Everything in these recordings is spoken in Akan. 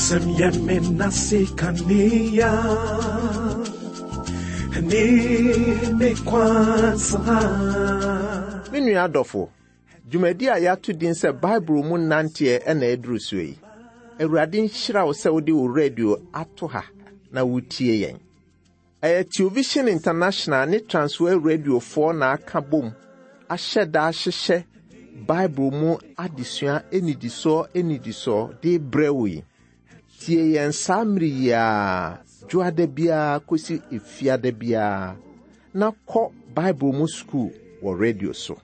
Wasɛm yɛ me nase kanea ne me kwan saa. Me nua adɔfo, dwumadi a yɛato din sɛ Bible mu nanteɛ na aduru soɔ yi. Awurade nhyira wo sɛ wode wo radio ato ha na wotie yɛn. Ɛyɛ Television International ne Transworld Radiofoɔ na aka bom ahyɛ da ahyehyɛ Bible mu adesua nnidisoɔ nnidisoɔ de rebrɛ wo yi. Tie yɛn saa mmere yi ara, dwoada biara kɔsi efiada biara, na kɔ Bible mu sukuu wɔ radio so.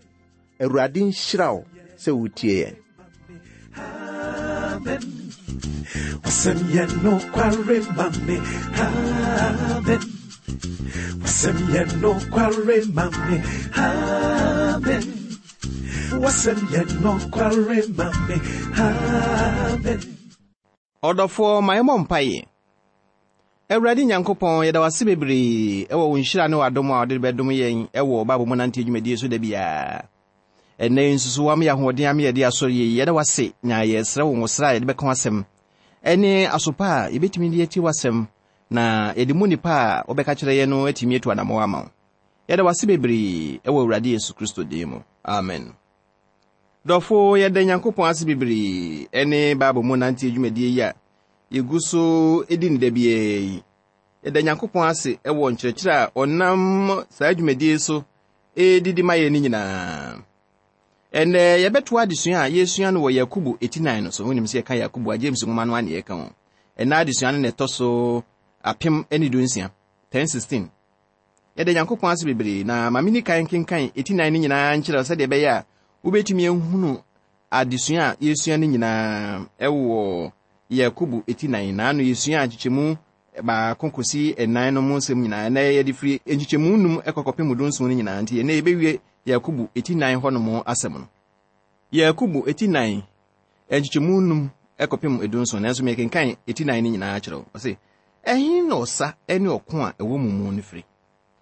Awurade nhyira wo sɛ wotie yɛn. Amen. Wasɛm yɛ nokware ma me. Amen. Wasɛm yɛ nokware ma me. Amen. Wasɛm yɛ nokware ma me. Amen. Ɔdɔfoɔ, ma yɛmmɔ mpaeɛ. Awurade Nyankopɔn, yɛda wo ase bebree wɔ wo nhyira ne w'adom a wode bɛdom yɛn wɔ Bible mu nanteɛ dwumadie so da biara. Ɛnnɛ yi nso so woama yɛ ahoɔden ama yɛde asɔre yi. Yɛda wo ase na yɛsrɛ wo nwosra a yɛde bɛka w'asɛm ne asopa a yɛbɛtumi de atie w'asɛm na yɛde mu nnipa a wobɛka kyerɛ yɛn no atumi atu anammɔn ama wo. Yɛda wo ase bebree wɔ Awurade Yesu Kristo din mu. Amen. Dɔfo, yɛda Nyankopɔn ase bebree ne Bible mu nanteɛ dwumadie yi a yɛgu so di ne da biara yi. Yɛda Nyankopɔn ase wɔ nkyerɛkyerɛ a ɔnam saa dwumadie so redidi ma yɛn no nyinaa. Ɛnnɛ yɛbɛtoa adesua a yɛresua no wɔ Yakobo eti nan no so. Wonim sɛ yɛka Yakobo a James nwoma no a na yɛka ho. Ɛnnɛ adesua no na ɛtɔ so 1016, 1016. Yɛda Nyankopɔn ase bebree na ma menni kan nkenkan eti nan no nyinaa nkyerɛ wo sɛdeɛ ɛbɛyɛ a wobɛtumi ahunu adesua a yɛresua no nyinaa ɛwɔ Yakobo eti nan. Na ano yɛsua nkyekyɛmu baako kɔsi nnan no mu nsɛm nyinaa. Ɛnɛ yɛde firi nkyekyɛmu num kɔ kɔpem dunson no nyinaa nti ɛnɛ yɛbɛwie Yakobo eti nan hɔ nom asɛm no. Yakobo eti nan nkyekyɛmu num kɔpem dunson nanso mekenkan eti nan no nyinaa kyerɛ wo. Ɔse, ɛhe na ɔsa ne ɔko a ɛwɔ mo mu no firi?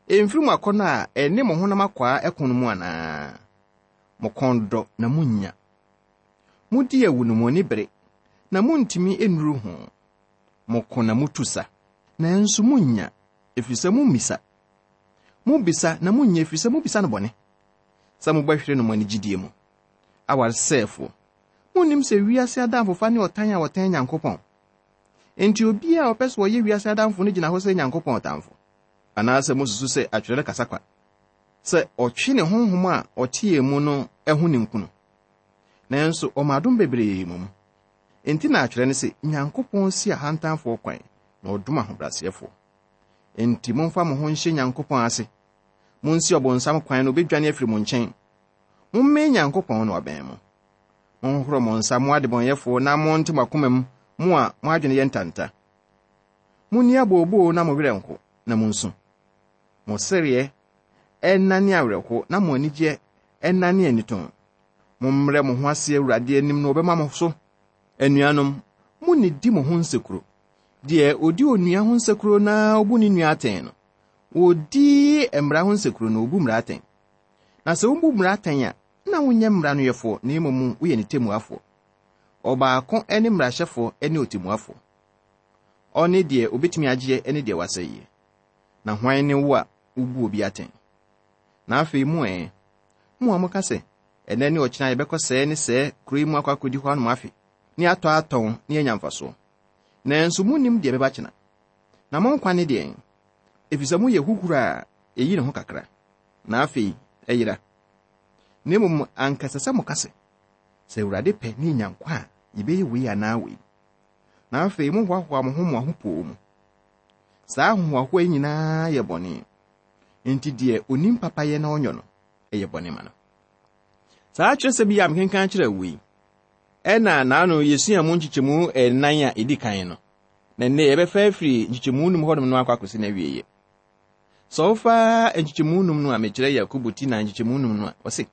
Ɛmfiri mo akɔnnɔ a ɛne mo honam akwaa ɛko no mu anaa? Mo kɔn dɔ na munnya. Modi awu no mo ani bere na muntumi nnuru ho. Moko na mutu sa, nanso munnya, ɛfiri sɛ mummisa. Mobisa na munnya ɛfiri sɛ mobisa no bɔne, sɛ mobɛhwere no mo anigyedie mu. Awaresɛefoɔ, monnim sɛ wiase adamfofa ne ɔtan a wɔtan Nyankopɔn? Enti obiara a ɔpɛ sɛ ɔyɛ wiase adamfo no gyina hɔ sɛ Nyankopɔn ɔtamfo. Anaasɛ mosusu sɛ atwerɛ no kasa kwa, sɛ ɔtwe ne honhom a ɔte yɛn mu no ho ninkunu? Nanso ɔma adom bebree mmom. Enti na atwerɛ no se, Nyankopɔn si ahantanfoɔ kwan, na ɔdom ahobrɛaseɛfoɔ. Enti momfa mo ho nhyɛ Nyankopɔn ase. Monsi ɔbonsam kwan na obedwane afiri mo nkyɛn. Mommɛn Nyankopɔn na wabɛn mo. Monhohoro mo nsa, mo adebɔnyɛfoɔ, na monte mo akoma mu, mo a mo adwene yɛ ntanta. Munni abooboo na mo werɛ nho, na munsu. Mo sereɛ nnane awerɛho na mo anigyeɛ nnane anitɔn. Mommrɛ mo ho ase Awurade anim na ɔbɛma mo so. Anuanom, munnidi mo ho nsekuro. Deɛ odi onua ho nsekuro na obu ne nua atɛn no, odi mmara ho nsekuro na obu mmara atɛn. Na sɛ wobu mmara atɛn a, na wonyɛ mmara no yɛfoɔ, na mmom woyɛ ne temmuafoɔ. Ɔbaako ne mmarahyɛfoɔ ne ɔtemmuafoɔ. Ɔne deɛ obetumi agyeɛ ne deɛ wasɛeɛ. Na hwan ne wo a wobu obi atɛn? Na afei mo ɛ, mo a moka sɛ, Ɛnnɛ ne ɔkyena yɛbɛkɔ sɛɛ ne sɛɛ kuro yi mu akɔ akɔdi hɔ anom afe, ne atɔ atɔn ne anya mfasoɔ. Nanso monnim deɛ ɛbɛba kyena. Na mo nkwa ne deɛn? Ɛfiri sɛ moyɛ huhuro a ɛyi ne ho kakra, na afei ɛyera. Na mmom anka ɛsɛ sɛ moka sɛ, Sɛ Awurade pɛ ne yɛnya nkwa a, yɛbɛyɛ wei anaa wei. Na afei mohoahoa mo ho mo ahopoo mu. Saa ahohoahoa yi nyinaa yɛ bɔne. Enti deɛ onim papayɛ na ɔnyɔ no, ɛyɛ bɔne ma no. Saa kyerɛsɛm yi a mekenkan kyerɛ wo yi, ɛna naano yɛsua mu nkyekyɛmu ɛnan a ɛdi kan no, na nnɛ yɛbɛfa afiri nkyekyɛmu num hɔnom no akɔ akɔsi n'awieeɛ. Sɛ wofa nkyekyɛmu num no a mekyerɛ Yakobo ti na nkyekyɛmu num no a, ɔse,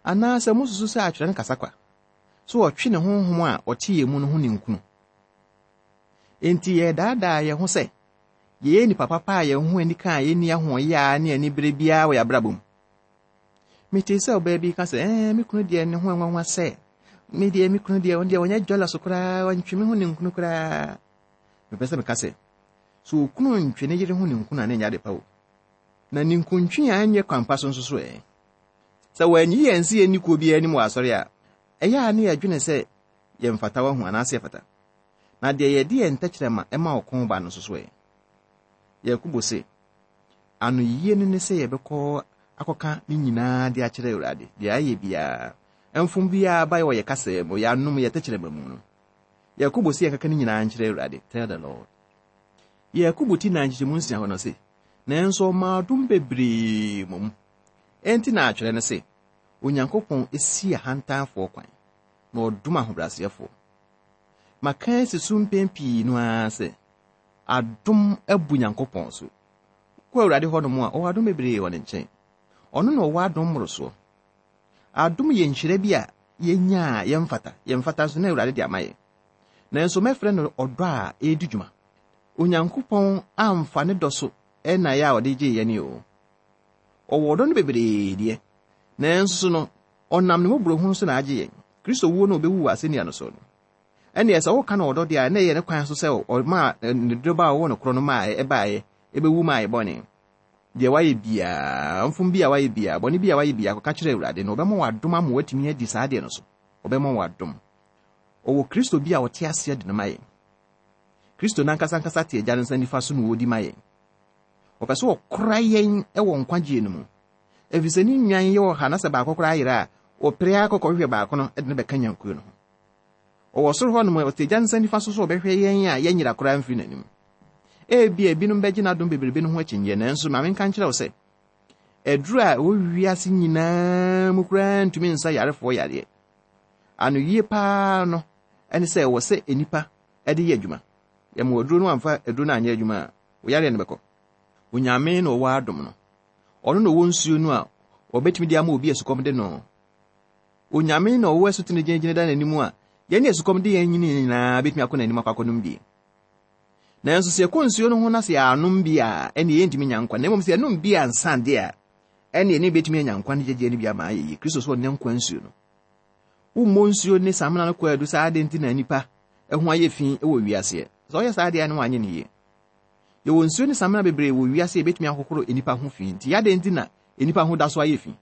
Anaasɛ mosusu sɛ atwerɛ no kasa kwa, sɛ ɔtwe ne honhom a ɔte yɛn mu no ho ninkunu? Enti yɛredaadaa yɛn ho sɛ yɛyɛ nnipa papa a yɛn ho ani ka a yenni ahoɔyaa ne anibere biara wɔ yɛn abrabɔ mu. Metee sɛ ɔbaa bi ka sɛ, ɛɛ, me kunu deɛ ne ho nwanwa sɛ. Me deɛ me kunu deɛ ɔno deɛ ɔnyɛ jealous koraa, ɔntwe me ho ninkunu koraa. Mepɛ sɛ meka sɛ, sɛ okunu ntwe ne yere ho ninkunu a na ɛnyɛ ade pa o. Na ninkuntwe a ɛnyɛ kwan pa so nso so ɛ? Sɛ wɔanyi yɛn sɛ yɛnni kuo biara anim wɔ asɔre a, ɛyɛ a na yɛdwene sɛ yɛmfata wahu anaasɛ yɛfata. Na deɛ yɛde yɛn tɛkyerɛma ma ɔko ba no nso so ɛ? Yakobo se, Anoyie no ne sɛ yɛbɛkɔ akɔka ne nyinaa de akyerɛ Awurade, deɛ ayɛ biara, mfom biara ba wɔ yɛ kasa mu, yɛ anom, yɛ tɛkyerɛma mu no. Yakobo se yɛnkaka ne nyinaa nkyerɛ Awurade, tell the Lord. Yakobo ti na nkyekyɛmu nsia hɔ no se, nanso ɔmaa adom bebree mmom. Enti na atwerɛ no se, Onyankopɔn si ahantanfoɔ kwan, na ɔdom ahobrɛaseɛfoɔ. Maka asi so mpɛn pii no ara sɛ, adom abu Nyankopɔn so. Wokɔ Awurade hɔnom a, ɔwɔ adom bebree wɔ ne nkyɛn. Ɔno na ɔwɔ adom mmorosoɔ. Adom yɛ nhyira bi a yɛnya a yɛmfata. Yɛmfata nso na Awurade de ama yɛn. Nanso mɛfrɛ no ɔdɔ a ɛredi dwuma. Onyankopɔn amfa ne dɔ so na ɛyɛ a ɔde gyee yɛn o. Ɔwɔ ɔdɔ no bebree deɛ, nanso no, ɔnam ne mmɔborɔhunu so na agye yɛn. Kristo wuo no a ɔbɛwu wɔ asɛnnua no so no, ɛnneɛ sɛ woka no ɔdɔ deɛ a, na ɛyɛ ne kwan so sɛ ɔmaa ne dɔba a ɔwɔ no korɔ no maa ɛbaeɛ, ɛbɛwu maa yɛ bɔne. Deɛ wayɛ biara, mfom bi a wayɛ biara, bɔne bi a wayɛ biara, kɔka kyerɛ Awurade na ɔbɛma w'adom ama watumi adi saa adeɛ no so. Ɔbɛma w'adom. Ɔwɔ Kristo bi a ɔte aseɛ de no ma yɛn. Kristo n'ankasa ankasa te Agya no nsa nifa so na ɔredi ma yɛn. Ɔpɛ sɛ ɔkora yɛn wɔ nkwagyeɛ no mu. Ɛfiri sɛ ne nnwan yɛ ɔha na sɛ baako koraa yera a, ɔpere ara kɔkɔhwehwɛ baako no de no bɛka nnwankuo no ho. Ɔwɔ soro hɔ nom, ɔte Agya nsa nifa so sɛ ɔbɛhwɛ yɛn a yɛnyera koraa mfiri n'anim. Ebia ebinom bɛgye n'adom bebrebe no ho akyinnyeɛ, nanso ma menka nkyerɛ wo sɛ, aduru a ɛwɔ wiase nyinaa mu koraa ntumi nsa yarefoɔ yareɛ. Anoyie paa no ne sɛ ɛwɔ sɛ nnipa de yɛ adwuma. Yɛma aduro no amfa aduro no anyɛ adwuma a, wo yareɛ no bɛkɔ. Onyame na ɔwɔ adom no. Ɔno na ɔwɔ nsuo no a ɔbɛtumi de ama obi a sukɔm de no. Onyame na ɔwɔ asutene gyinagyina da n'anim a yɛne asukɔm de yɛn nyini nyinaa bɛtumi akɔ n'anim akɔ akɔnom bi. Nanso sɛ yɛkɔ nsuo no ho na sɛ yɛanom bi a, ɛne yɛntumi nya nkwa. Na mmom sɛ yɛnom bi ansa de a, ɛne yɛne bɛtumi anya nkwa no gyegyeɛ no bi ama ayɛ yie. Kristo so ɔne nkwa nsuo no. Wommɔ nsuo ne samena no kɔ adu saa ade nti na nnipa ho ayɛ fi wɔ wiaseɛ. Sɛ ɔyɛ saa deɛ a na wanyɛ no yie. Yɛwɔ nsuo ne samena bebree wɔ wiase a ɛbɛtumi ahohoro nnipa ho fi nti adɛn nti na nnipa ho da so ayɛ fi?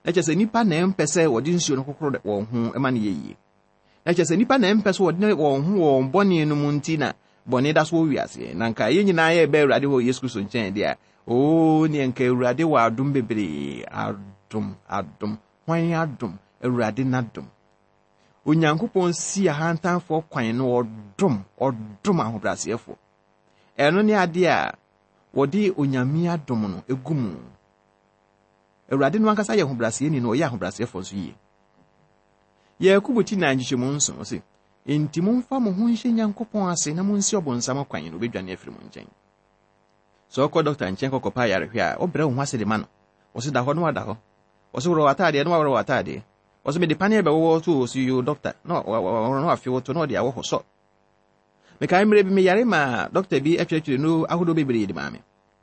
Na kyerɛ sɛ nnipa na ɛmpɛ sɛ wɔde nsuo no hohoro wɔn ho ma no yɛ yie. Na kyerɛ sɛ nnipa na ɛmpɛ sɛ wɔde wɔn ho wɔ wɔn bɔne no mu nti na bɔne da so wɔ wiase. Na nka yɛn nyinaa yɛbɛ Awurade hɔ Yesu Kristo nkyɛn deɛ a, oo neɛ nka Awurade wɔ adom bebree. Adom, adom, hwan adom? Awurade n'adom. Onyankopɔn si ahantanfoɔ kwan na ɔdom, ɔdom ahobrɛaseɛfoɔ. Ɛno ne adeɛ a wɔde Onyame adom no gu mu. Awurade no ankasa yɛ ahobrɛaseɛni na ɔyɛ ahobrɛaseɛfoɔ nso yie. Yakobo ti nan nkyekyɛmu nson ɔse, Enti momfa mo ho nhyɛ Nyankopɔn ase na monsi ɔbonsam kwan na obedwane afiri mo nkyɛn. Sɛ ɔkɔ dɔkta nkyɛn kɔkɔpa ayarehwɛ a, wobrɛ wo ho ase de ma no. Ɔse da hɔ na wada hɔ. Ɔse worɔ w'ataadeɛ na waworɔ w'ataadeɛ. Ɔse mede paneɛ bɛwɔwɔ wo to o, ɔse yoo dɔkta na waworɔ na wafe wo to na ɔde awɔ hɔ sɔ. Mekae mmerɛ bi meyare maa dɔkta bi kyerɛkyerɛ nnuro ahodoɔ bebree de maa me.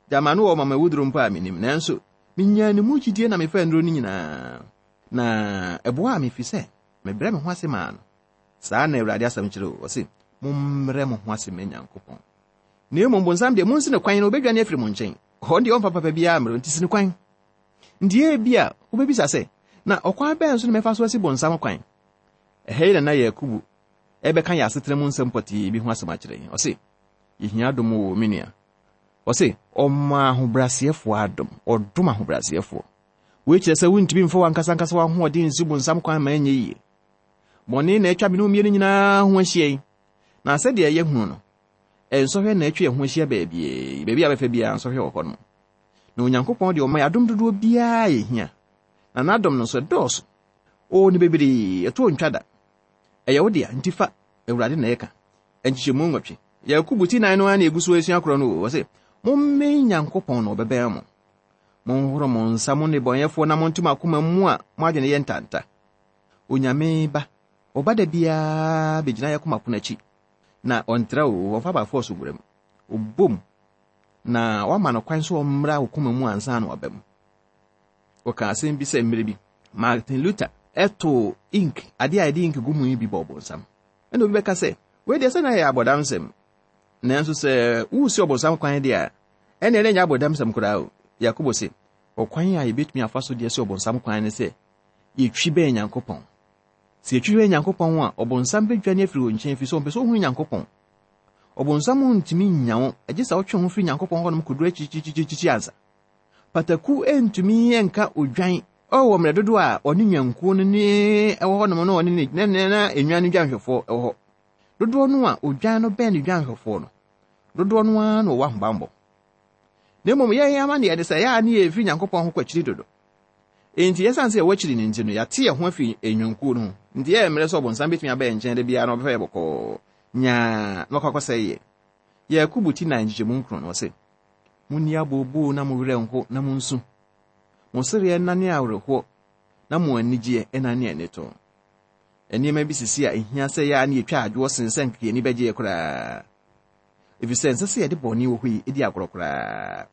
Gyama no wɔ ɔma mawuduro mpo a mennim, nanso menyaa ne mu gyidie na mefaa nnuro no nyinaa. Na ɛboaa me ɛfiri sɛ mebrɛ me ho ase maa no. Saa na Awurade asɛm kyerɛ o, ɔse, Mommrɛ mo ho ase mma Nyankopɔn. Na mmom bonsam deɛ, monsi no kwan na ɔbɛdwane afiri mo nkyɛn. Ɔno deɛ ɔmfa papa biara mmerɛ, nti si no kwan. Nti ebia wobɛbisa sɛ, na ɔkwan bɛn so na mɛfa so asi bonsam kwan? Ɛha yi na na Yakubu ɛbɛka yɛn asetena mu nsɛm pɔtee bi ho asɛm akyerɛ yɛn. Ɔse, yɛhia adom o, me nua. Ɔse, ɔma ahobrɛaseɛfoɔ adom, ɔdom ahobrɛaseɛfoɔ. Wei kyerɛ sɛ wontumi mfa w'ankasa ankasa w'ahoɔden nsi bonsam kwan ma ɛnyɛ yie. Bɔne na atwa me ne wo mmienu nyinaa ho ahyia yi. Na sɛdeɛ yɛhunu no, nsɔhwɛ na atwa yɛn ho ahyia baabi, baabi a bɛfa biara nsɔhwɛ wɔ hɔ nom. Na Onyankopɔn deɛ ɔma yɛn adom dodoɔ biara a yɛhia. Na n'adom no nso ɛdɔɔso. Oo, ne bebree, ɛtoɔ ntwa da. Ɛyɛ wo dea, nti fa, Awurade na ɛka. Nkyekyɛmu nwɔtwe. Yakobo ti nan no ara na egu so resua korɔ no o. Ɔse, Mommɛn Nyankopɔn na ɔbɛbɛn mo. Monhoro mo nsa, mo nnebɔneyɛfoɔ, na monte mo akoma mu a mo adwene yɛ ntanta. Onyame Ba, ɔba da biara bɛgyina yɛn akoma pono akyi, na ɔntra o, ɔmfa by force nwura mu. Ɔbom, na wama no kwan sɛ ɔmmra wo koma mu ansa na waba mu. Wɔka asɛm bi sɛ mmerɛ bi, Martin Luther too ink, adeɛ a yɛde ink gu mu yi bi bɔɔ ɔbonsam. Ɛna obi bɛka sɛ, wei deɛ sɛ na ɛyɛ abɔdamsɛm. Nanso sɛ woresi ɔbonsam kwan deɛ a, ɛnneɛ na ɛnyɛ abɔdamsɛm koraa o. Yakobo se, ɔkwan a yɛbɛtumi afa so de asi ɔbonsam kwan ne sɛ yɛtwi bɛn Nyankopɔn. Sɛ yɛtwi bɛn Nyankopɔn a, ɔbonsam bɛdwane afiri wo nkyɛn, ɛfiri sɛ ɔmpɛ sɛ ɔhunu Nyankopɔn. Ɔbonsam ntumi nnya wo, gye sɛ wotwe wo ho firi Nyankopɔn hɔnom kɔduru akyirikyirikyirikyiri ansa. Pataku ntumi nka odwan wɔ mmerɛ dodoɔ a ɔne nnwankuo no ne ɛwɔ hɔnom na ɔne ne na na nnwan no dwanhwɛfoɔ wɔ hɔ. Dodoɔ no a odwan no bɛn ne dwanhwɛfoɔ no, dodoɔ no ara na ɔwɔ ahobammɔ. Na mmom yɛn amanneɛ ne sɛ yɛ a ne yɛfiri Nyankopɔn ho kɔ akyiri dodo. Enti ɛsiane sɛ yɛwɔ akyiri no nti no, yɛate yɛn ho afiri nnwankuo no ho. Nti yɛyɛ mmerɛ sɛ ɔbonsam bɛtumi aba yɛn nkyɛn da biara na ɔbɛfa yɛ bɔkɔɔ nyaa na wakɔ akɔsɛe yɛn. Yakobo ti nan nkyekyɛmu nkron no, ɔse, Monni abooboo na mo werɛ nho na monsu. Mo sereɛ nnane awerɛhoɔ na mo anigyeɛ nnane anitoo. Nneɛma bi sisi a ehia sɛ yɛ a na yɛtwa adwoɔ sen sɛ anka yɛn ani bɛgyeɛ koraa. Efisɛ ɛnsɛ sɛ yɛde bɔne wɔ hɔ yi di agorɔ koraa.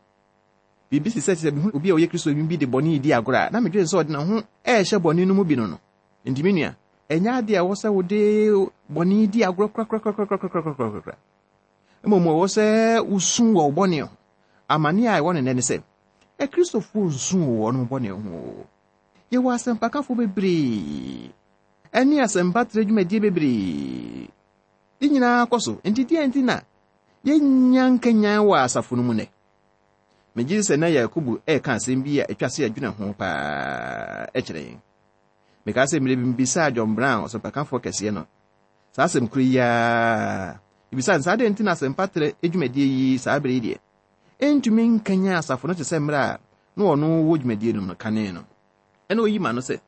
Biribi te sɛ sɛ mehu obi a ɔyɛ Kristoni bi de bɔne redi agorɔ a, na medwene sɛ ɔde ne ho rehyɛ bɔne no mu bi no no. Enti me nua, ɛnyɛ ade a ɛwɔ sɛ wode bɔne di agorɔ korakorakorakorakorakorakora. Mmom ɛwɔ sɛ wosu wɔ wo bɔne ho. Amane a ɛwɔ no nnɛ ne sɛ, Akristofoɔ nsu wɔ wɔn bɔne ho. Yɛwɔ asɛmpakafo bebree ne asɛmpatrɛ dwumadie bebree. Ne nyinaa kɔ so. Enti deɛn nti na yɛnnya nkanyan wɔ asafo no mu nnɛ? Megye di sɛ na Yakobo reka asɛm bi a ɛtwa sɛ yɛdwene ho paa kyerɛ yɛn. Mekaa sɛ mmerɛ bi mebisaa John Brown, ɔsɛmpakafoɔ kɛseɛ no, saa asɛm koro yi ara. Mebisaa no sɛ adɛn nti na asɛmpatrɛ dwumadie yi saa berɛ yi deɛ ɛntumi nkanyan asafo no te sɛ mmerɛ a na ɔno wɔ dwumadie no mu no kane no. Ɛna ɔyi ma no sɛ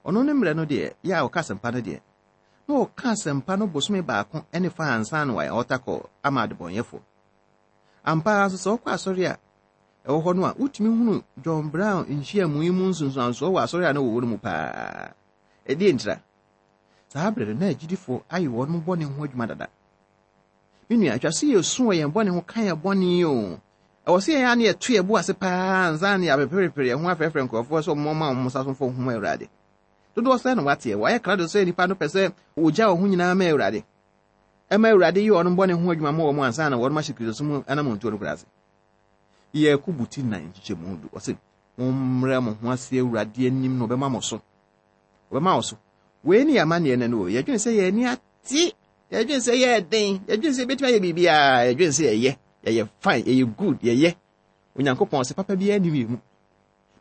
ɔno ne mmerɛ no deɛ yɛ a ɔka asɛmpa no deɛ na ɔka asɛmpa no bosome baako ne fa ansa na wayɛ altar call ama adebɔnyɛfoɔ. Ampa ara nso sɛ wokɔ asɔre a ɛwɔ hɔ no a, wotumi hunu John Brown nhyiamu yi mu nsunsuansoɔ wɔ asɔre a na wɔwɔ no mu paa. Ɛdeɛ ntira? Saa berɛ no na agyidifoɔ ayɛ wɔn bɔne ho adwuma dada. Me nua, atwa sɛ yɛsu wɔ yɛn bɔne ho ka yɛn bɔne o. Ɛwɔ sɛ yɛn ara na yɛto yɛn bo ase paa ansa na yɛapeperepere yɛn ho afrɛfrɛ nkurɔfoɔ sɛ wɔmmɔ wɔn nsa so mfa wɔn ho ma Awurade. Dodoɔ sɛn na wɔateɛ? Wɔayɛ krado sɛ nnipa no pɛ sɛ wɔgya wɔn ho nyinaa ma Awurade. Ɛma Awurade yɛ wɔn bɔne ho adwuma ma wɔn ansa na wɔn ahyɛ Kristosom mu anammɔntuo no koraa ase. Yakobo ti nan nkyekyɛmu du, ɔse, Mommrɛ mo ho ase Awurade anim na ɔbɛma mo so. Ɔbɛma wo so. Wei ne yɛn amanneɛ no no o. Yɛdwene sɛ yɛn ani ate. Yɛdwene sɛ yɛyɛ den. Yɛdwene sɛ yɛbɛtumi ayɛ biribiara. Yɛdwene sɛ yɛyɛ. Yɛyɛ fine. Yɛyɛ good. Yɛyɛ. Onyankopɔn ɔse papa biara nni yɛn mu.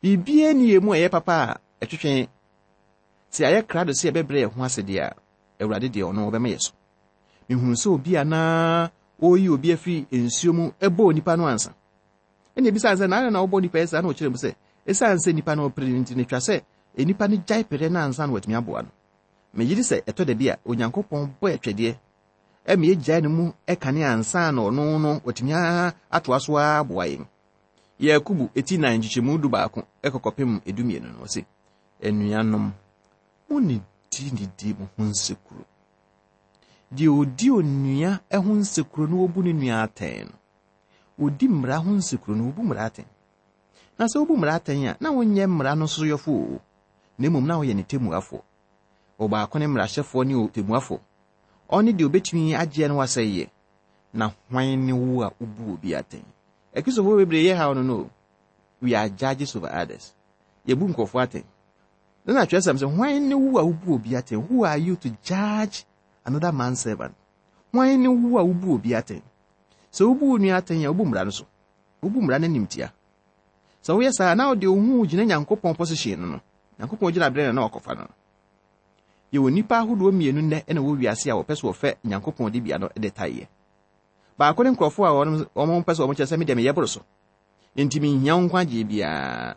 Biribiara nni yɛn mu a ɛyɛ papa a ɛtwetwe. Sɛ yɛayɛ krado sɛ yɛbɛbrɛ yɛn ho ase deɛ a, Awurade deɛ ɔno ɔbɛma yɛ so. Mehunu sɛ obi a na ɔreyi obi afiri nsuo mu bɔ onipa no ansa. Ɛna ebisaa sɛ, na adɛn na wobɔ nipa yi saa? Na ɔkyerɛ mu sɛ, esiane sɛ nipa no ɔpere no nti, na etwa sɛ nipa no gyae pere no ansa na watumi aboa no. Megye di sɛ ɛtɔ da bi a Onyankopɔn bɔ atwɛdeɛ ma yɛgyae no mu kane ansa na ɔno no watumi atoa so ara aboa yɛn. Yakobo ti nan nkyekyɛmu dubaako kɔ kɔpem dumienu no, ɔse, Anuanom, monnidinidi mo ho nsekuro. Deɛ ɔdi onua ho nsekuro na ɔbu ne nua atɛn no, ɔdi mmara ho nsekuro no, ɔbu mmara atɛn. Na sɛ wobu mmara atɛn a, na wonyɛ mmara no so yɔfo o, na mmom na woyɛ ne temmuafoɔ. Ɔbaako ne mmarahyɛfoɔ ne ɔtemmuafoɔ. Ɔne deɛ ɔbɛtumi agyeɛ na wasɛe yɛ. Na hwan ne wo a wobu obi atɛn? Akristofoɔ bebree yɛ haw no no o. We are judges over others. Yɛbu nkurɔfoɔ atɛn. Na na twerɛsɛm sɛ, hwan ne wo a wobu obi atɛn? Who are you to judge another man's servant? Hwan ne wo a wobu obi atɛn? Sɛ wobu wo nua atɛn a, wobu mmara no so. Wobu mmara no animtia. Sɛ woyɛ saa na wode wo ho gyina Nyankopɔn position no no, Nyankopɔn gyinaberɛ na na wakɔfa no no. Yɛwɔ nnipa ahodoɔ mmienu nnɛ na wɔ wiase a wɔpɛ sɛ wɔfɛ Nyankopɔn dibea no de taeɛ. Baako ne nkurɔfoɔ a wɔn pɛ sɛ wɔn kyerɛ sɛ me deɛ meyɛ boro so. Enti menhia wo nkwagyeɛ biara.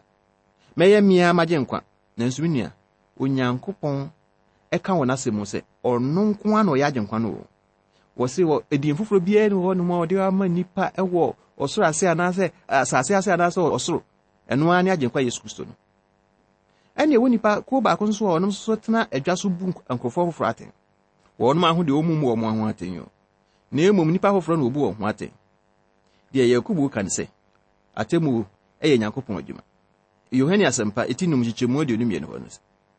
Mɛyɛ me ara magye nkwa. Nanso me nua, Onyankopɔn ɛka wɔ n'asɛm mu sɛ ɔno nko ara na ɔyɛ agyenkwa no o. Wɔse wɔ edin foforɔ biara ni hɔ nom a ɔde ama nnipa wɔ ɔsoro ase anaasɛ asase ase anaasɛ ɔsoro. Ɛno ara ne agyenkwa Yesu Kristo no. Ɛne ɛwɔ nnipa kuo baako nso a ɔnom nso tena adwa so bu nkurɔfoɔ foforɔ atɛn. Wɔnom aho deɛ wɔn mu wɔn ho atɛn o. Na mmom nnipa foforɔ na wɔbu wɔn ho atɛn. Deɛ Yakobo ka ne sɛ, atemmuo yɛ Nyankopɔn adwuma. Yohane Asɛmpa, eti num nkyekyɛmu 22 hɔ no,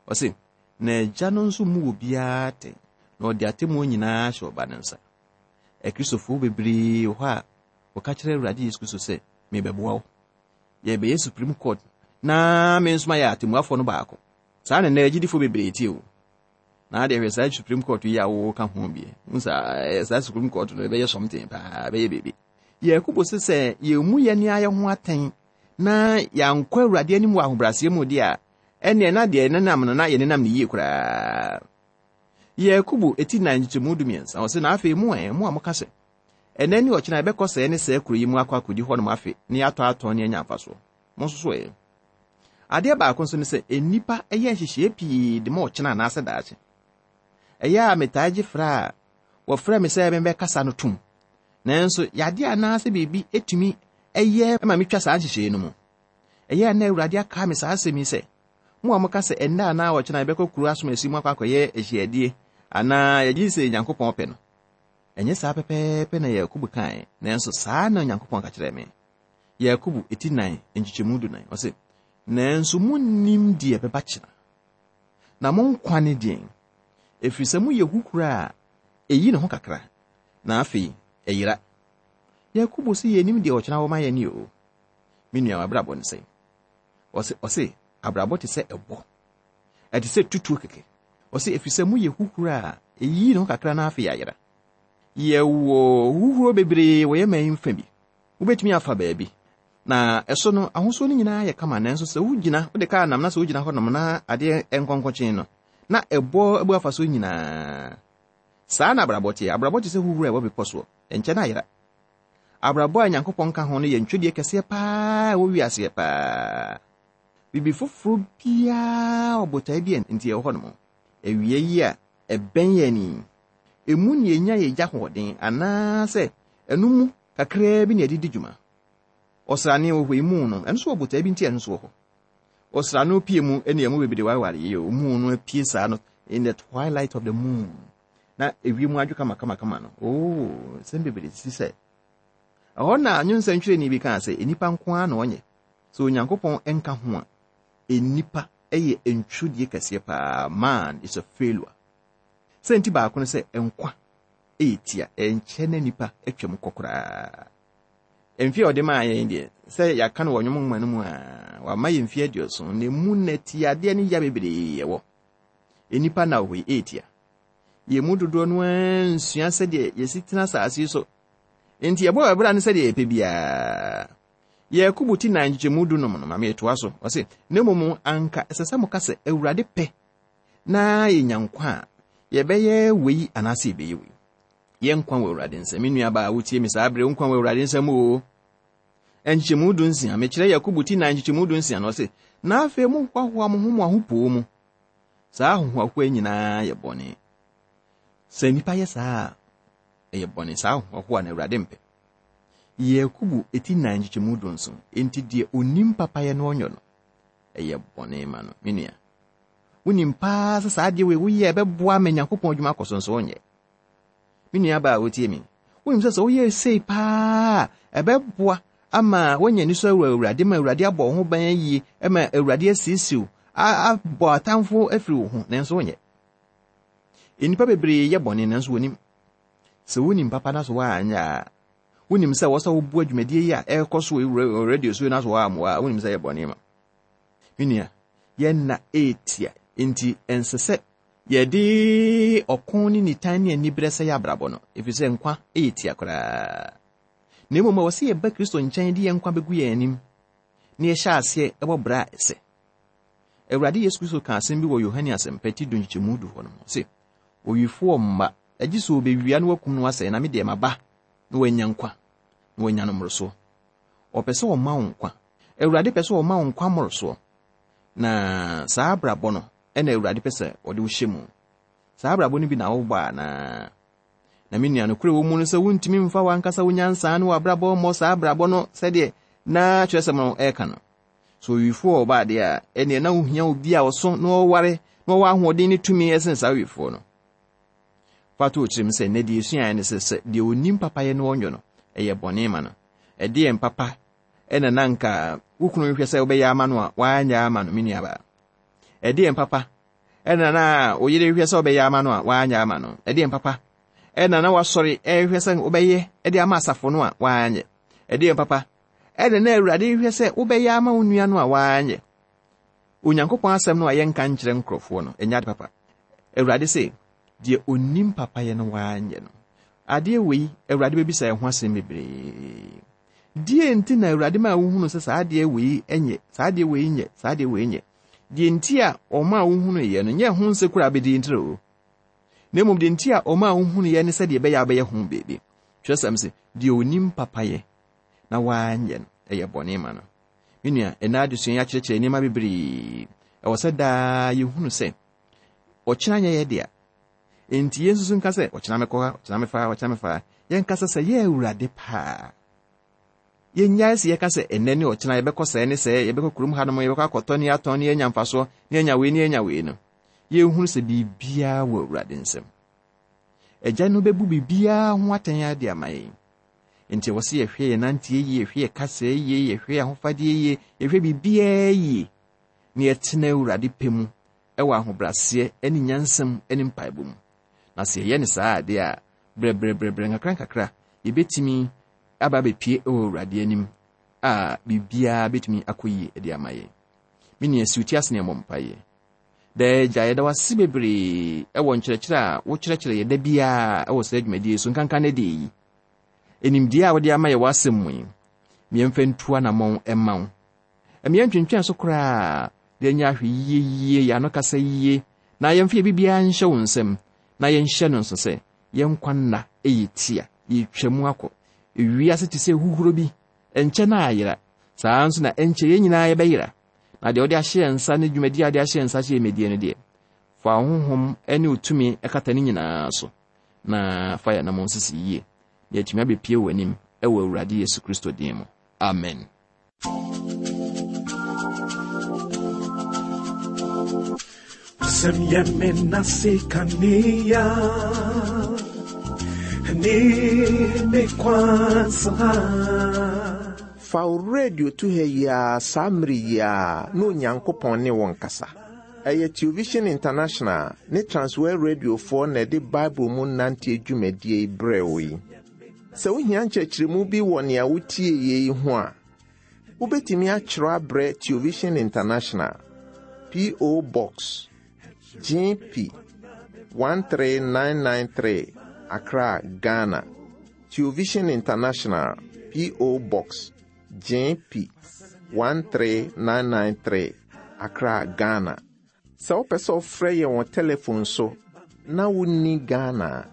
ɔse, Na Agya no nso mmu obiara atɛn, na ɔde atemmuo nyinaa ahyɛ Ɔba no nsa. Akristofoɔ bebree wɔ hɔ a wɔka kyerɛ Awurade Yesu Kristo sɛ, Mebɛboa wo. Yɛbɛyɛ Supreme Court na me nso mayɛ atemmuafoɔ no baako. Saa na nnɛ agyidifoɔ bebree tie o. Na adeɛ hwɛ saa Supreme Court yi a wɔka ho bi. Hu saa saa Supreme Court no ɛbɛyɛ something paa, ɛbɛyɛ biribi. Yakobo se sɛ yɛmmu yɛn ne ayɛ ho atɛn na yɛankɔ Awurade anim wɔ ahobrɛaseɛ mu deɛ a, ɛnneɛ na deɛ yɛnenam no na yɛnenam no yie koraa. Yakobo eti nan nkyekyɛmu 13, ɔse, Na afei mo ɛ, mo a moka sɛ, Ɛnnɛ ne ɔkyena yɛbɛkɔ sɛɛ ne sɛɛ kuro yi mu akɔ akɔdi hɔnom afe na yɛatɔ atɔn ne anya mfasoɔ. Mo nso so ɛ? Adeɛ baako nso ne sɛ, nnipa yɛ nhyehyɛeɛ pii de ma ɔkyena anaasɛ daakye. Ɛyɛ a metaa gye frɛ a wɔfrɛ me sɛ memmɛkasa no tom. Nanso yadeɛ anaasɛ biribi tumi yɛ ma metwa saa nhyehyɛeɛ no mu. Ɛyɛ a na Awurade akae me saa asɛm yi sɛ, Mo a moka sɛ ɛnnɛ anaa ɔkyena yɛbɛkɔ kuro asomasi mu akɔ akɔyɛ ahyiadie anaa yɛgye di sɛ Nyankopɔn pɛ no. Ɛnyɛ saa pɛpɛɛpɛ na Yakobo kaeɛ, nanso saa na Onyankopɔn ka kyerɛɛ me. Yakobo eti nan nkyekyɛmu dunan, ɔse, Nanso monnim deɛ ɛbɛba kyena. Na mo nkwa ne deɛn? Ɛfiri sɛ moyɛ huhuro a ɛyi ne ho kakra, na afei ɛyera. Yakobo se yɛnnim deɛ ɔkyena wɔ ma yɛn o. Me nua, w'abrabɔ ne sɛn? Ɔse, ɔse, abrabɔ te sɛ ɛbɔ. Ɛte sɛ tutuo kɛkɛ. Ɔse, ɛfiri sɛ moyɛ huhuro a ɛyi ne ho kakra na afei ayera. Yɛwɔ huhuro bebree wɔ yɛn man yi mfa bi. Wobɛtumi afa baabi, na ɛso no, ahosuo no nyinaa yɛ kama, nanso sɛ wogyina, wode kaa nam na sɛ wogyina hɔnom na adeɛ nkɔnkɔkyen no, na ɛbɔ abu afa so nyinaa. Saa na abrabɔ teɛ. Abrabɔ te sɛ huhuro a ɛwɔ bepɔ soɔ. Ɛnkyɛ na ayera. Abrabɔ a Nyankopɔn ka ho no yɛ ntwedeɛ kɛseɛ paa ɛwɔ wiaseɛ paa. Biribi foforɔ biara wɔ botae bi a nti ɛwɔ hɔnom. Awia yi a ɛbɛn yɛn yi, emu na yɛnya yɛn gya hoɔden anaasɛ ɛno mu kakraa bi na yɛde di dwuma. Ɔsrane wɔ hɔ yi mu no, ɛno nso wɔ botae bi nti ɛno nso wɔ hɔ. Ɔsrane pie mu ne ɛmu bebree wareware yie o. Moon no apue saa no in the twilight of the moon. Na ewiem adwo kama kama kama no. Oh, nsɛm bebree sisi sɛ. Ɛhɔ na nwonsɛntwerɛni bi kaa sɛ nnipa nko ara na ɔnyɛ. Sɛ Onyankopɔn nka ho a, nnipa yɛ ntwodie kɛseɛ paa. Man is a failure. Sɛ nti baako no sɛ nkwa yɛ tia, ɛnkyɛ na nnipa atwam kɔ koraa. Mfe a ɔde maa yɛn deɛ, sɛ yɛaka no wɔ nnwom nwoma no mu a, wama yɛn mfe 70, na emu na tiadeɛ ne ya bebree ɛwɔ. Nnipa na wɔ hɔ yi, ɛretia. Yɛn mu dodoɔ no ara nsua sɛdeɛ yɛsi tena asase yi so. Enti yɛbɔ yɛn bra no sɛdeɛ yɛpɛ biara. Yakobo ti nan nkyekyɛmu dunum no, ma metoa so. Ɔse, na mmom anka ɛsɛ sɛ moka sɛ, Awurade pɛ na yɛnya nkwa a, yɛbɛyɛ wei anaasɛ yɛbɛyɛ wei. Yɛn nkwa wɔ Awurade nsam. Me nuabaa a wotie me saa bere, wo nkwa wɔ Awurade nsam o. Nkyekyɛmu 16, mekyerɛ Yakobo ti nan nkyekyɛmu 16 no, ɔse, na afei mohoahoa mo ho mo ahopoo mu. Saa ahohoahoa nyinaa yɛ bɔne. Sɛ nnipa yɛ saa a, ɛyɛ bɔne. Saa ahohoahoa na Awurade mpɛ. Yakobo ti nan nkyekyɛmu 17, enti deɛ onim papayɛ no ɔnyɔ no, ɛyɛ bɔne ma no. Me nua, wonim paa sɛ saa adeɛ wei woyɛ ɛbɛboa ma Nyankopɔn adwuma akɔ so nso wonyɛ. Me nua baa a wotie me, wonim sɛ sɛ woyɛ sei paa a ɛbɛboa ama woanya anisɔ wɔ Awurade ma Awurade abɔ wo ho ban ayie ma Awurade asiesie wo abɔ atamfo afiri wo ho nanso wonyɛ. Nnipa bebree yɛ bɔne nanso wɔnim. Sɛ wonim papa na so woanyɛ a, wonim sɛ wɔ sɛ woboa dwumadie yi a ɛrekɔ so wɔ radio so na so woammoa a, wonim sɛ yɛ bɔne ma. Me nua, yɛn nna retia, enti ɛnsɛ sɛ yɛde ɔko ne nitan ne aniberɛ sɛe abrabɔ no, ɛfiri sɛ nkwa yɛ tia koraa. Na mmom ɛwɔ sɛ yɛba Kristo nkyɛn de yɛn nkwa bɛgu yɛn anim na yɛhyɛ aseɛ bɔ bra a ɛsɛ. Awurade Yesu Kristo ka asɛm bi wɔ Yohane Asɛmpa ti du nkyekyɛmu du hɔ no mu, ɔse, Owifoɔ mma, agye sɛ ɔbɛwia na wakum no asɛe, na me deɛ maba na wanya nkwa, na wanya no mmorosoɔ. Ɔpɛ sɛ ɔma wo nkwa. Awurade pɛ sɛ ɔma wo nkwa mmorosoɔ. Na saa abrabɔ no na Awurade pɛ sɛ ɔde wo hyɛ mu. Saa abrabɔ no bi na wobɔ anaa? Na me nua, nokorɛ wɔ mu no sɛ wontumi mfa w'ankasa wo nyansa ne w'abrabɔ mmɔ saa abrabɔ no sɛdeɛ na kyerɛsɛm no ɛreka no. So owifoɔ ɔba adeɛ a, ɛneɛ na wohia obi a ɔso na ɔware na ɔwɔ ahoɔden ne tumi ɛsen saa owifoɔ no. Fa to wo tirim sɛ nnɛ deɛ yɛsuaeɛ ne sɛ, sɛ deɛ ɔnim papayɛ no ɔnyɔ no, ɛyɛ bɔne ma no. Ɛdeɛn papa na na anka wo kunu hwehwɛ sɛ wobɛyɛ ama no a woanyɛ ama no, me nuabaa? Ɛdeɛn papa ɛna na wo yere hwehwɛ sɛ wobɛyɛ ama no a woanyɛ ama no? Ɛdeɛn papa ɛna na wasɔre ɛrehwɛ sɛ wobɛyɛ de ama asafo no a woanyɛ? Ɛdeɛn papa ɛna na Awurade hwehwɛ sɛ wobɛyɛ ama wo nua no a woanyɛ? Onyankopɔn asɛm no a yɛnka nkyerɛ nkurɔfoɔ no, ɛnyɛ ade papa. Awurade se, deɛ ɔnim papayɛ no wanyɛ no. Adeɛ wei, Awurade bɛbisa yɛn ho asɛm bebree. Deɛ nti na Awurade maa wohunu sɛ saa adeɛ wei nyɛ, saa adeɛ wei nyɛ, saa adeɛ wei nyɛ. Deɛ nti a ɔmaa wohunuiɛ no, nyɛ ho nsekura abɛdi ntire o. Na mmom deɛ nti a ɔmaa wohunuiɛ ne sɛdeɛ ɛbɛyɛ a wobɛyɛ ho biribi. Twerɛsɛm se, deɛ ɔnim papayɛ na wanyɛ no, ɛyɛ bɔne ma no. Me nua, ɛnnɛ adesua yi akyerɛkyerɛ nneɛma bebree. Ɛwɔ sɛ daa yɛhunu sɛ ɔkyena nyɛ yɛ dea. Enti yɛnsusu nka sɛ ɔkyena mɛkɔ ha, ɔkyena mɛfa ha, ɔkyena mɛfa ha. Yɛnkasa sɛ yɛ Awurade paa. Yɛnnyae sɛ yɛka sɛ ɛnnɛ ne ɔkyena yɛbɛkɔ sɛɛ ne sɛɛ, yɛbɛkɔ kurom hanom, yɛbɛkɔ akɔtɔ ne atɔn ne yɛanya mfasoɔ, ne yɛanya wei ne yɛanya wei no. Yɛnhunu sɛ biribiara wɔ Awurade nsam. Agya no bɛbu biribiara ho atɛn de ama yɛn. Enti ɛwɔ sɛ yɛhwɛ yɛn nanteɛ yie, yɛhwɛ yɛn kasa yie, yɛhwɛ yɛn ahofadeɛ yie, yɛhwɛ biribiara yie, na yɛtena Awurade pɛ mu wɔ ahobrɛaseɛ ne nyansa mu ne mpaebɔ mu. Na sɛ yɛyɛ no saa adeɛ a, brɛbrɛbrɛbrɛ nkakrankakra yɛbɛtumi aba abɛpue wɔ Awurade anim a biribiara bɛtumi akɔ yie de ama yɛn. Me nua, si wo ti ase na yɛmmɔ mpaeɛ. Daa Agya, yɛda wo ase bebree wɔ nkyerɛkyerɛ a wokyerɛkyerɛ yɛ da biara wɔ saa dwumadie yi so, nkanka ne deɛ yi. Nimdeɛ a wode ama yɛ w'asɛm mu yi, yɛmfa ntu anammɔn mma wo. Ɛma yɛntwentwɛn so koraa na yɛnyɛ ahwɛyie yie, yɛn ano kasa yie, na yɛmfa yɛn biribiara nhyɛ wo nsam, na yɛnhyɛ no nso sɛ yɛn nkwa nna yɛ tia, yɛtwa mu akɔ. Ewiase te sɛ huhuro bi, ɛnkyɛ na ayera. Saa ara nso na ɛnkyɛ yɛn nyinaa yɛbɛyera. Na deɛ wode ahyɛ yɛn nsa ne dwumadie a wode ahyɛ yɛn nsa sɛ yɛmmɛdie no deɛ, fa wo honhom ne wo tumi kata ne nyinaa so, na fa yɛn anammɔn sisi yie, na yɛatumi abɛpie w'anim wɔ Awurade Yesu Kristo din mu. Amen. Wasɛm yɛ me nase kanea ne me kwan so ha. Fa wo radio to ha yi ara saa mmere yi ara na Onyankopɔn ne wo nkasa. Ɛyɛ Television International ne Transworld Radiofoɔ na ɛde Bible mu nanteɛ dwumadie yi brɛɛ wo yi. Sɛ wohia nkyerɛkyerɛmu bi wɔ nea wotieeɛ yi ho a, wobɛtumi atwerɛ abrɛ Television International, P.O. Box, GP 13993, Accra, Ghana. Television International, P.O. Box, GP 13993, Accra, Ghana. Sɛ wopɛ sɛ wofrɛ yɛn wɔ telefon so na wonni Ghana a,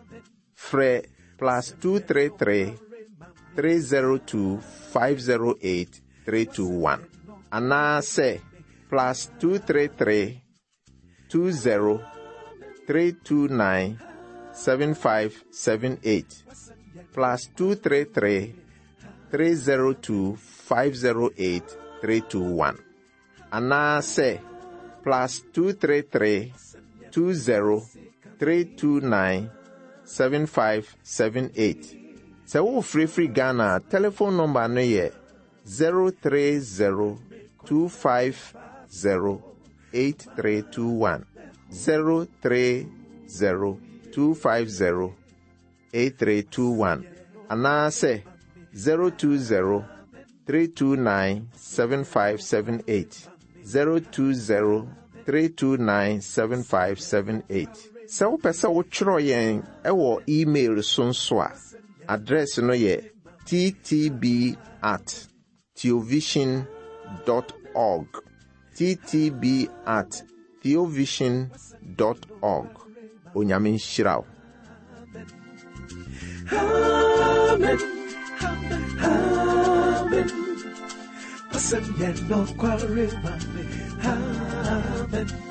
frɛ plus 233 302 508 321 anaasɛ plus 233 20 329 7578 plus 233 302 508 321 anaasɛ plus 233 20 329 7578. Sɛ worefrɛ firi Ghana a, telephone number no yɛ 030 250 8321. 030 250 8321 anaasɛ 020 329 7578. 020 329 7578. Sɛ wopɛ sɛ wotwerɛ yɛn wɔ email so nso a, address no yɛ ttb at theovision dot org. Ttb at theovision dot org. Onyame nhyira wo. Amen. Amen. Wasɛm yɛ nokware ma me. Amen.